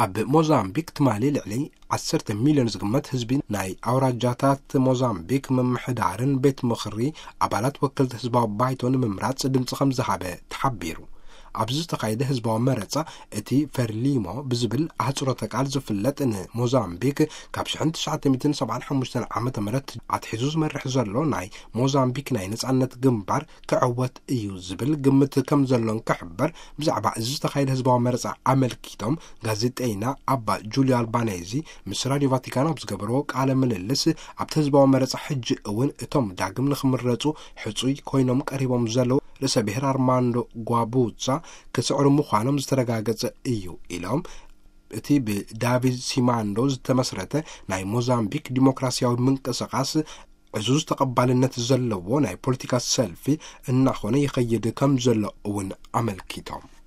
ኣብ ሞዛምቢክ ትማሊ ልዕሊ ዓሰርተ ሚልዮን ዝግመት ህዝቢ ናይ ኣውራጃታት ሞዛምቢክ ምምሕዳርን ቤት ምኽሪ ኣባላት ወከልቲ ህዝባዊ ባይቶ ንምምራጽ ድምፂ ከም ዝሃበ ተሓቢሩ። ኣብዚ ዝተኻየደ ህዝባዊ መረጻ፣ እቲ ፈርሊሞ ብዝብል ኣህጽሮተ ቃል ዝፍለጥ፣ ንሞዛምቢክ ካብ ሽሕን ትሽዓተ ሚእትን ሰብዓን ሓሙሽተን ዓመተ ምህረት ኣትሒዙ ዝመርሕ ዘሎ ናይ ሞዛምቢክ ናይ ነጻነት ግንባር ክዕወት እዩ ዝብል ግምት ከም ዘሎን ክሕበር፣ ብዛዕባ እዚ ዝተኻየደ ህዝባዊ መረጻ ኣመልኪቶም ጋዜጠይና ኣባ ጁልዮ ኣልባኔዚ ምስ ራድዮ ቫቲካን ኣብ ዝገበርዎ ቃለ ምልልስ፣ ኣብቲ ህዝባዊ መረጻ ሕጂ እውን እቶም ዳግም ንኽምረጹ ሕጹይ ኮይኖም ቀሪቦም ዘለዉ ርእሰ ብሔር ኣርማንዶ ጓቡዛ ክስዕሩ ምዃኖም ዝተረጋገጸ እዩ ኢሎም። እቲ ብዳቪድ ሲማንዶ ዝተመስረተ ናይ ሞዛምቢክ ዲሞክራሲያዊ ምንቅስቓስ ዕዙዝ ተቐባልነት ዘለዎ ናይ ፖለቲካ ሰልፊ እናኾነ ይኸይድ ከም ዘሎ እውን ኣመልኪቶም።